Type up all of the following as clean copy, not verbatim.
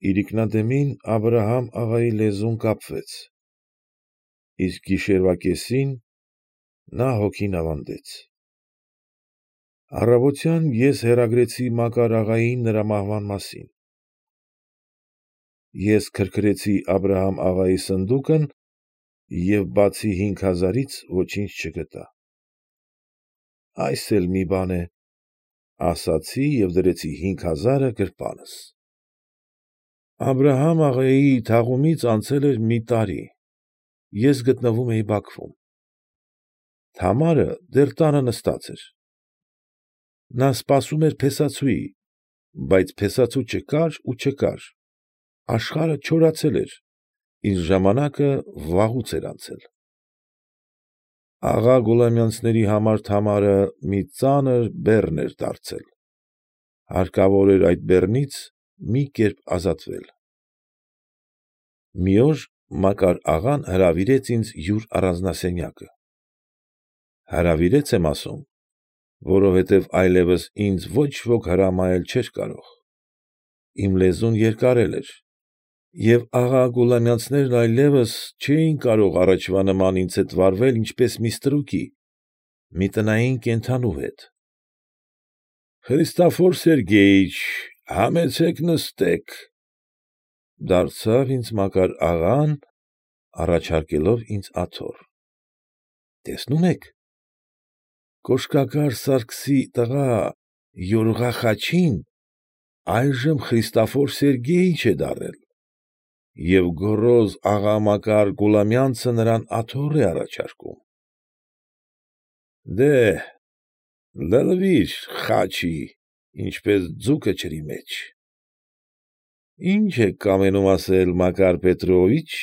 իրիկնադեմին Աբրահամ աղայի լեզուն կապվեց, իսկ գիշերվա կեսին նա հոգին ավանդեց։ Առավոտյան ես հեռագրեցի Մակար աղային նրա մահվան մասին։ Ես քրքրեցի Աբրահամ աղայի սնդուկն և բացի 5,000-ից ոչինչ չգտա։ Այս էլ մի բան է, ասացի և դրեցի 5,000-ը գրպանս։ Աբրահամ աղայի թաղումից անցել էր մի տարի, ես գտնվում էի Բաքվում։ Թամարը դեռ տանը նստած էր։ Նա սպասում էր փեսացուի, բայց փեսացու չկար ու չկար, աշխարհը չորացել էր, իսկ ժամանակը վաղուց էր անցել։ Աղա Գուլամյանցների համար Թամարը մի ծանր բեռն էր դարձել, հարկավոր էր այդ բեռնից մի կերպ ազատվել։ Մի օր Մակար աղան հրավիրեց ինձ յուր առանձնասենյակը։ Հրավիրեց եմ ասում, որովհետև այլևս ինձ ոչ ոք հրամայել չէր կարող, իմ լեզուն երկարել էր, և աղա Գուլամյանցներն այլևս չէին կարող առաջվա նման ինձ հետ վարվել ինչպես մի ստրուկի, մի տնային կենդանու հետ։ ֊ Խրիստոֆոր Սերգեյիչ, համեցեք նստեք, ֊ դարձավ ինձ Մակար աղան, առաջարկելով ինձ աթոռ։ ֊ Տեսնում եք, Կոշկակար Սարգսի տղա Յորղա Խաչին այժմ Խրիստոֆոր Սերգեյիչ է դառել, և գոռոզ աղա Մակար Գուլամյանցը նրան աթոռ է առաջարկում։ ֊ Դե՛հ, լլվիր, Խաչի, ինչպես ձուկը ջրի մեջ։ ֊ Ի՞նչ եք կամենում ասել, Մակար Պետրովիչ, ֊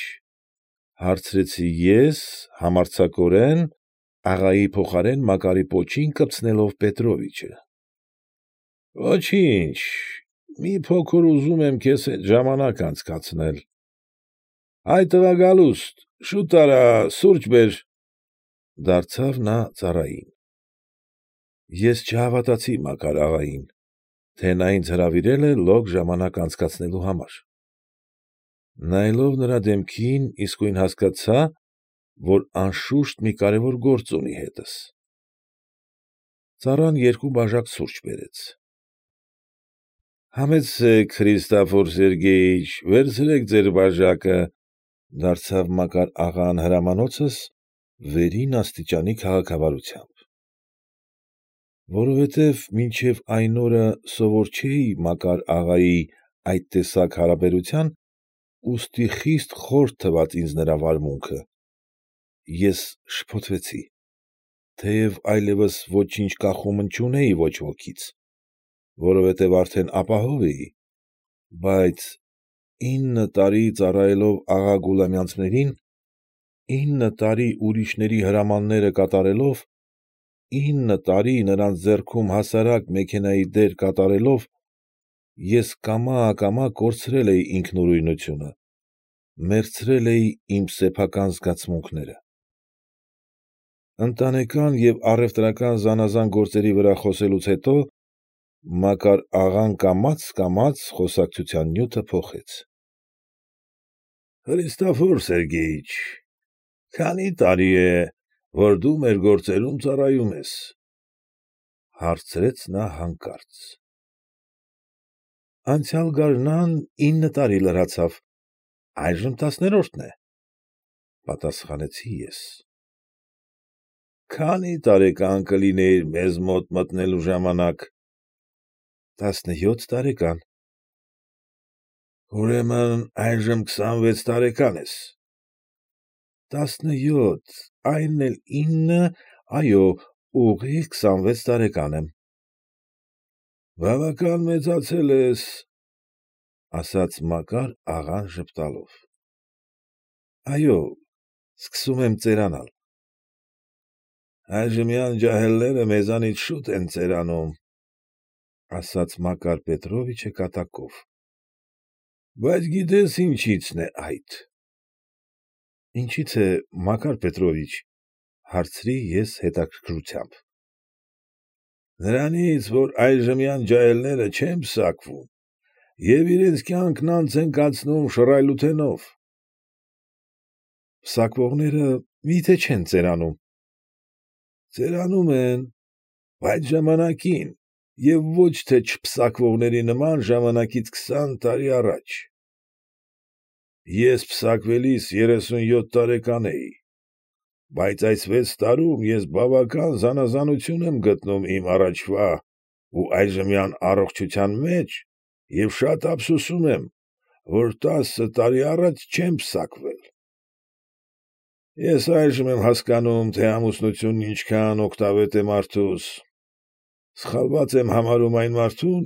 հարցրի ես համարձակորեն, աղայի փոխարեն Մակարի պոչին կպցնելով Պետրովիչը։ ֊ Ոչինչ, մի փոքր ուզում եմ քեզ հետ ժամանակ անցկացնել։ ֊ Հայ տղա, Գալուստ, շուտ արա սուրճ բեր, ֊ դարձավ նա ծառային։ Ես չհավատացի Մակար աղային, թե նա ինձ հրավիրել է լոկ ժամանակ անցկացնելու համար։ Նայելով նրա դեմքին իսկույն հասկացա, որ անշուշտ մի կարևոր գործ ունի հետս։ Ծառան 2 բաժակ սուրճ բերեց։ ֊ Համեցեք, Խրիստոֆոր Սերգեյիչ, վերցրեք ձեր բաժակը, ֊ դարձավ Մակար աղան հրամանոցս վերին աստիճանի քաղաքավարությամբ։ Որովհետև մինչև այն օրը սովոր չէի Մակար աղայի այդ տեսակ հարաբերության, ուստի խիստ խորը թվաց ինձ նրա վարմունքը, ես շփոթվեցի, թեև այլևս ոչինչ կախումն չունեի ոչ ոքից, որովհետև արդեն ապահով էի, բայց 9 տարի ծառայելով աղա Գուլամյանցներին, 9 տարի ուրիշների հրամանները կատարելով, 9 տարի նրանց ձեռքում հասարակ մեքենայի դեր կատարելով, ես կամա֊ակամա կորցրել էի ինքնուրույնությունը, մերձրել էի իմ սեփական զգացմունքները։ Ընտանեկան և առևտրական զանաղան գործերի վրա խոսելուց հետո Մակար աղան կամաց խոսակցության նյութը փոխեց։ ֊ Խրիստոֆոր Սերգեյիչ, քանի՞ տարի է, որ դու մեր գործերում ծառայում ես, ֊ հարցրեց նա հանկարծ։ ֊ Անցյալ գարնան 9 տարի լրացավ, այժմ 10-րդն է, ֊ պատասխանեցի ես։ ֊ Քանի՞ տարեկան կլինեիր մեզ մոտ մտնելու ժամանակ։ ֊ 17 տարեկան։ ֊ Ուրեմն այժմ 26 տարեկան ես։ ֊ 17, այն էլ 9, այո, ուղիղ 26 տարեկան եմ։ ֊ Բավական մեծացել ես, ֊ ասաց Մակար աղան ժպտալով։ ֊ Այո, սկսում եմ ծերանալ։ ֊ Այժմյան ջահելները մեզանից շուտ են ծերանում, ֊ ասաց Մակար Պետրովիչը կատակով։ ֊ Բայց գիտե՞ս ինչիցն է այդ։ ֊ Ինչի՞ց է, Մակար Պետրովիչ, ֊ հարցրի ես հետաքրքրությամբ։ ֊ Նրանից, որ այժմյան ջահելները չեն պսակվում և իրենց կյանքն անց են կացնում շռայլութենով։ Պսակվողները մի՞թե չեն ծերանում։ Ծերանում են, բայց ժամանակին և ոչ թե չպսակվողների նման ժամանակից 20 տարի առաջ։ Ես պսակվելիս 37 տարեկան էի, բայց այս 6 տարում ես բավական զանաղանություն եմ գտնում իմ առաջվա ու այժմյան առողջության մեջ և շատ ափսոսում եմ, որ 10 տարի առաջ չեմ պսակվել։ Ես այժմ եմ հասկանում, թե ամուսնությունն ինչքան օգտավետ է մարդուս։ Սխալված եմ համարում այն մարդուն,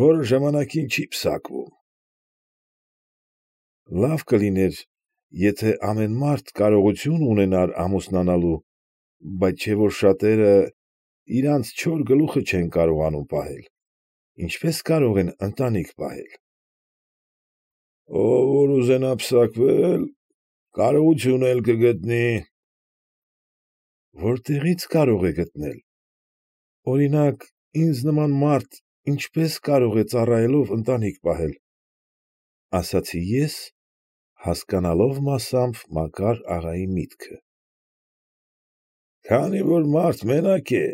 որը ժամանակին չի պսակվում։ Լավ կլիներ, եթե ամեն մարդ կարողություն ունենար ամուսնանալու, բայց չէ՞ որ շատերը իրանց չոր գլուխը չեն կարողանում պահել, ինչպե՞ս կարող են ընտանիք պահել։ Ով որ ուզենա պսակվել, կարողություն էլ կգտնի։ Որտեղի՞ց կարող է գտնել։ Օրինակ, ինձ նման մարդ ինչպե՞ս կարող է ծառայելով ընտանիք պահել, ֊ ասացի ես, հասկանալով մասամբ Մակար աղայի միտքը։ Քանի որ մարդ մենակ է,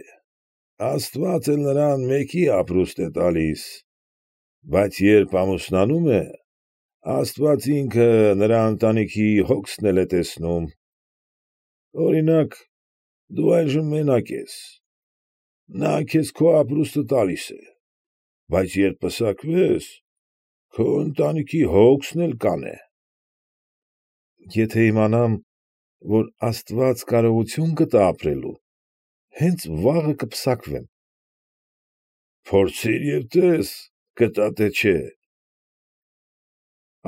աստված էլ նրան մեկի ապրուստ է տալիս, բայց երբ ամուսնանում է, աստված ինքը նրա ընտանիքի հոգսն էլ է տեսնում։ Օրինակ, դու այժմ մենակ ես, նա քեզ քո ապրուստը տալիս է, բայց երբ պսակվես, քո ընտանիքի հոգսն էլ կանե։ Եթե իմանամ, որ աստված կարողություն կտա ապրելու, հենց վաղը կպսակվեմ։ Փորձիր և տես, կտա թե չէ։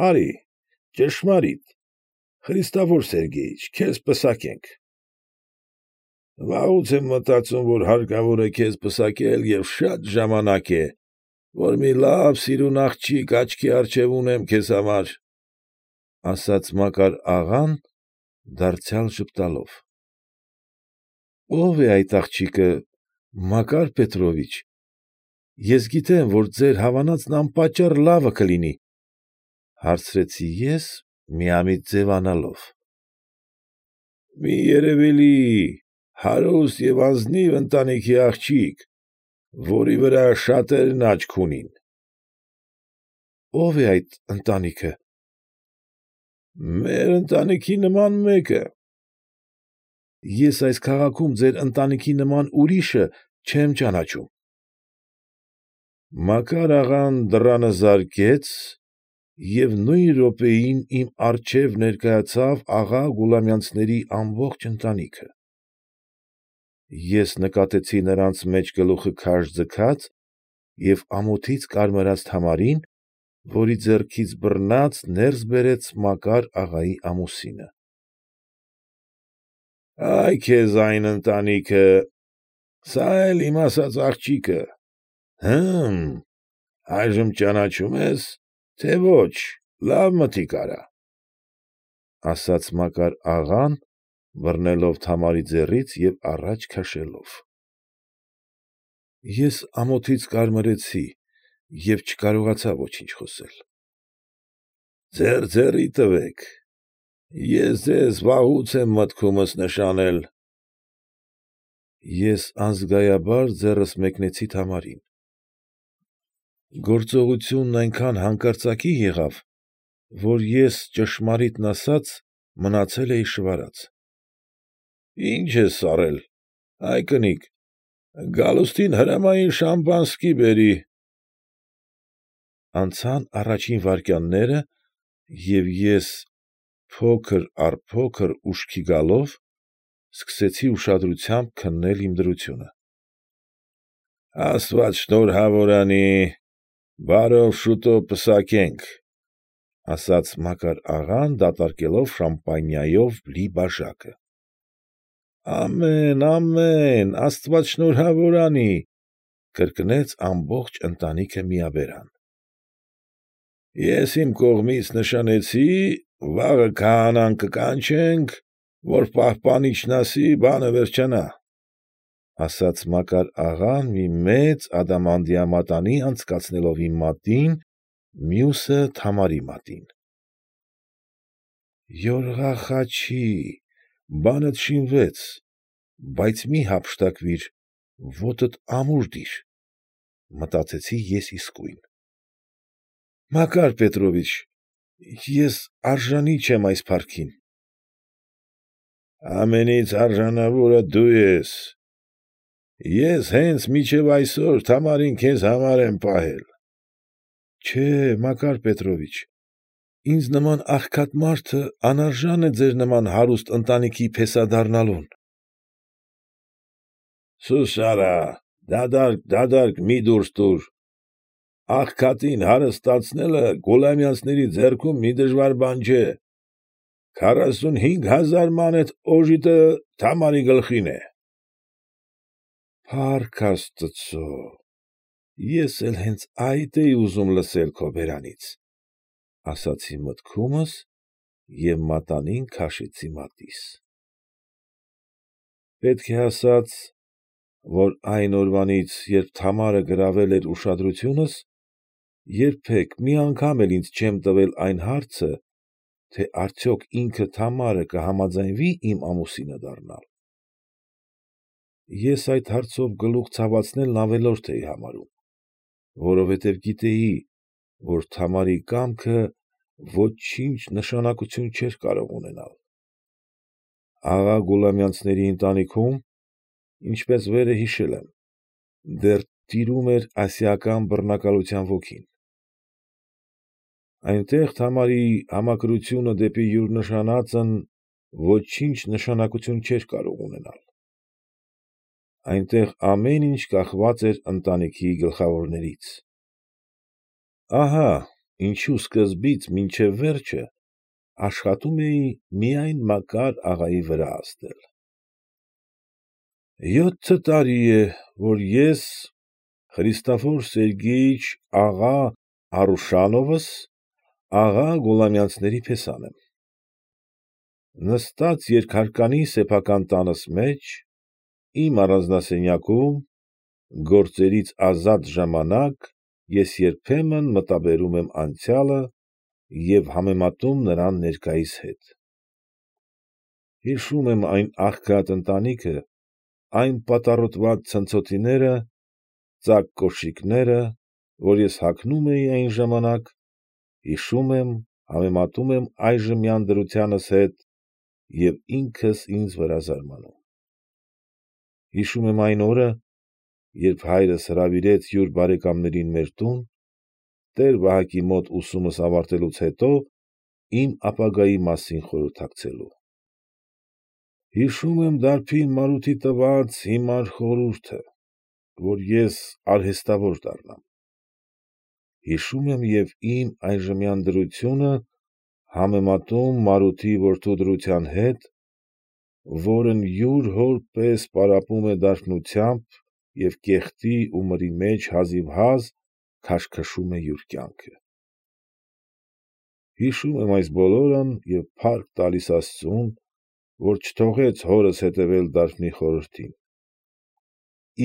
Արի, ճշմարիտ, Խրիստոֆոր Սերգեյիչ, քեզ պսակենք։ Վաղուց եմ մտածում, որ հարկավոր է քեզ պսակել և շատ ժամանակ է, որ մի լավ սիրուն աղջիկ աչքի առջև ունեմ քեզ համար, ֊ ասաց Մակար աղան, դարձյալ ժպտալով։ Ո՞վ է այդ աղջիկը, Մակար Պետրովիչ, ես գիտեմ, որ ձեր հավանածն անպատճառ լավը կլինի, ֊ հարցրի ես միամիտ ձևանալով։ Մի երևելի, հարուստ և ազնիվ ընտանիքի աղջիկ, որի վրա շատերն աչք ունին։ Ո՞վ է այդ ընտանիքը։ Մեր ընտանիքի նման մեկը։ Ես այս քաղաքում ձեր ընտանիքի նման ուրիշը չեմ ճանաչում։ Մակար աղան դռանը զարկեց և նույն րոպեին իմ առջև ներկայացավ աղա Գուլամյանցների ամբողջ ընտանիքը։ Ես նկատեցի նրանց մեջ գլուխը քաշ ձգած և ամոթից կարմրած Թամարին, որի ձեռքից բռնած ներս բերեց Մակար աղայի ամուսինը։ Ա՛յ քեզ այն ընտանիքը, սա էլ իմ ասած աղջիկը, հը՛մ, այժմ ճանաչում ես, թե ոչ, լավ մտիկ արա, ֊ ասաց Մակար աղան, բռնելով Թամարի ձեռքից և առաջ քաշելով։ Ես ամոթից կարմրեցի և չկարողացա ոչինչ խոսել։ Ձեռի տվեք, ես ձեզ վաղուց եմ մտքումս նշանել։ Ես անզգայաբար ձեռքս մեկնեցի Թամարին։ Գործողությունն այնքան հանկարծակի եղավ, որ ես, ճշմարիտն ասած, մնացել էի շվարած։ Ի՞նչ ես սառել, ա՛յ կնիկ, Գալուստին հրամայիր շամպանսկի բերի։ Անցան առաջին վայրկյանները, և ես, փոքր առ փոքր ուշքի գալով, սկսեցի ուշադրությամբ քննել իմ դրությունը։ Աստված շնորհավոր անի, բարով շուտով պսակենք, ֊ ասաց Մակար աղան, դատարկելով շամպանիայով լի բաժակը։ Ամեն, ամեն, աստված շնորհավոր անի, ֊ կրկնեց ամբողջ ընտանիքը միաբերան։ Ես իմ կողմից նշանեցի, վաղը քահանան կկանչենք, որ պահպանիչն ասի բանը վերջանա, ֊ ասաց Մակար աղան մի մեծ ադամանդյա մատանի անցկացնելով իմ մատին մյուսը Թամարի մատին։ Յորղա Խաչի, բանդ շինվեց, բայց մի հափշտակվիր, ոտդ ամուր դիր, մտածեցի ես իսկույն։ Մակար Պետրովիչ, ես արժանի չեմ այս փառքին։ Ամենից արժանավորը դու ես։ Ես հենց մինչև այսօր Թամարին քեզ համար եմ պահել։ Չէ, Մակար Պետրովիչ, ինձ նման աղքատ մարդը անարժան է ձեր նման հարուստ ընտանիքի փեսա դառնալուն։ Սուս արա, դադարք մի դուրս տուր։ Աղքատին հարստացնելը Գուլամյանցների ձեռքում մի դժվար բան չէ։ 45,000 մանեթ օժիտը Թամարի գլխին է։ Փառք աստծո, ես էլ հենց այդ էի ուզում լսել քո բերանից, ասացի մտքումս և մատանին քաշեցի մատիս։ Պետք է ասած, որ այն օրվանից, երբ Թամարը գրավել էր ուշադրությունս, երբեք մի անգամ էլ ինձ չեմ տվել այն հարցը, թե արդյոք ինքը Թամարը կհամաձայնվի իմ ամուսինը դառնալ։ Ես այդ հարցով գլուխ ցավացնելն ավելորդ էի համարում, որովհետև գիտեի, որ Թամարի կամքը ոչինչ նշանակություն չէր կարող ունենալ։ Աղա Գուլամյանցների ընտանիքում, ինչպես վերը հիշել եմ, դեռ տիրում էր ասիական բռնակալության ոգին։ Այնտեղ Թամարի համակրությունը դեպի յուր նշանածն ոչինչ նշանակություն չէր կարող ունենալ։ Այնտեղ ամեն ինչ կախված էր ընտանիքի գլխավորներից։ Ահա ինչու սկզբից մինչև վերջը աշխատում էի միայն Մակար աղայի վրա ազդել։ 7 տարի է, որ ես, Խրիստոֆոր Սերգեյիչ աղա Արուշանովս, աղա Գուլամյանցների փեսան եմ։ Նստած երկհարկանի սեփական տանս մեջ, իմ առանձնասենյակում, գործերից ազատ ժամանակ ես երբեմն մտաբերում եմ անցյալը և համեմատում նրան ներկայիս հետ։ Հիշում եմ այն աղքատ ընտանիքը, այն պատառոտված ցնցոտիները, ծակ կոշիկները, որ ես հագնում էի այն ժամանակ, հիշում եմ, համեմատում եմ այժմյան դրությանս հետ և ինքս ինձ վրա զարմանում։ Հիշում եմ այն օրը, երբ հայրս հրավիրեց յուր բարեկամներին մեր տուն, տեր֊Վահակի մոտ ուսումս ավարտելուց հետո իմ ապագայի մասին խորհրդակցելու։ Հիշում եմ դարբին Մարութի տված հիմար խորհուրդը, որ ես արհեստավոր դառնամ։ Հիշում եմ և իմ այժմյան դրությունը համեմատում Մարութի որդու դրության հետ, որն յուր հոր պես պարապում է դաշնությամբ և կեղտի ու մրի մեջ հազիվհազ քաշքշում է յուր կյանքը։ Հիշում եմ այս բոլորն և փառք տալիս աստծուն, որ չթողեց հորս հետևել դարբնի խորհրդին։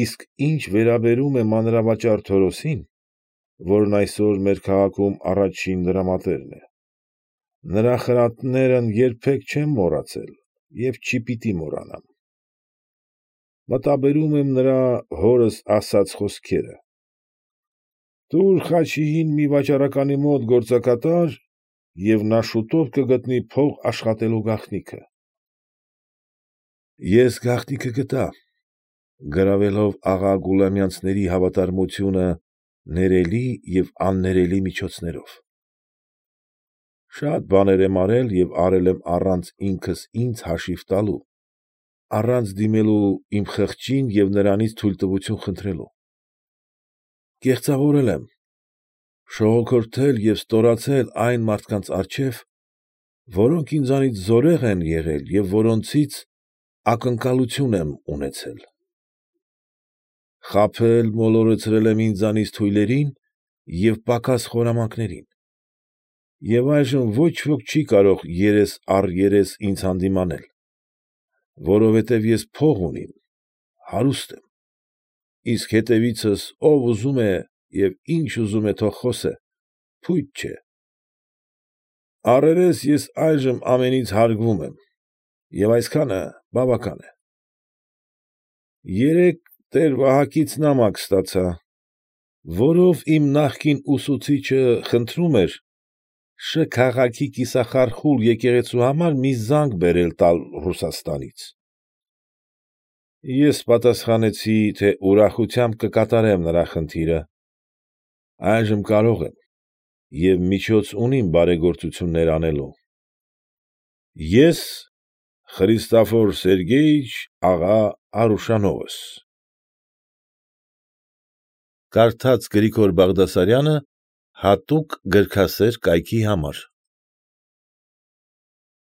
Իսկ ինչ վերաբերում է մանրավաճառ Թորոսին, որն այսօր մեր քաղաքում առաջին դրամատերն է, նրա խրատներն երբեք չեմ մոռացել և չպիտի մոռանամ։ Մտաբերում եմ նրա հորս ասած խոսքերը. «Տուր Խաչիին մի վաճառականի մոտ գործակատար, և նա շուտով կգտնի փող աշխատելու գաղտնիքը»։ Ես գաղտնիքը գտա, գրավելով աղա Գուլամյանցների հավատարմությունը ներելի և աններելի միջոցներով։ Շատ բաներ եմ արել և արել եմ առանց ինքս ինձ հաշիվ տալու, առանց դիմելու իմ խղճին և նրանից թույլտվություն խնդրելու։ Կեղծավորել եմ, շողոքորթել և ստորացել այն մարդկանց առջև, որոնք ինձանից զորեղ են եղել և որոնցից ակնկալություն եմ ունեցել։ Խաբել, մոլորեցրել եմ ինձանից թույլերին և պակաս խորամանկներին։ Եվ այժմ ոչ ոք չի կարող երես առ երես ինձ հանդիմանել, որովհետև ես փող ունիմ, հարուստ եմ, իսկ հետևիցս ով ուզում է և ինչ ուզում է թող խոսե, փույթ չէ։ Առերես ես այժմ ամենից հարգվում եմ, և այսքանը բավական է։ Երեկ տեր֊Վահակից նամակ ստացա, որով իմ նախկին ուսուցիչը խնդրում էր Շ. քաղաքի կիսախարխուլ եկեղեցու համար մի զանգ բերել տալ Ռուսաստանից։ Ես պատասխանեցի, թե ուրախությամբ կկատարեմ նրա խնդիրը, այժմ կարող եմ և միջոց ունիմ բարեգործություններ անելու։ Ես Խրիստոֆոր Սերգեյիչ աղա Արուշանովս։ Կարդաց Գրիգոր Բաղդասարյանը հատուկ գրքասեր կայքի համար։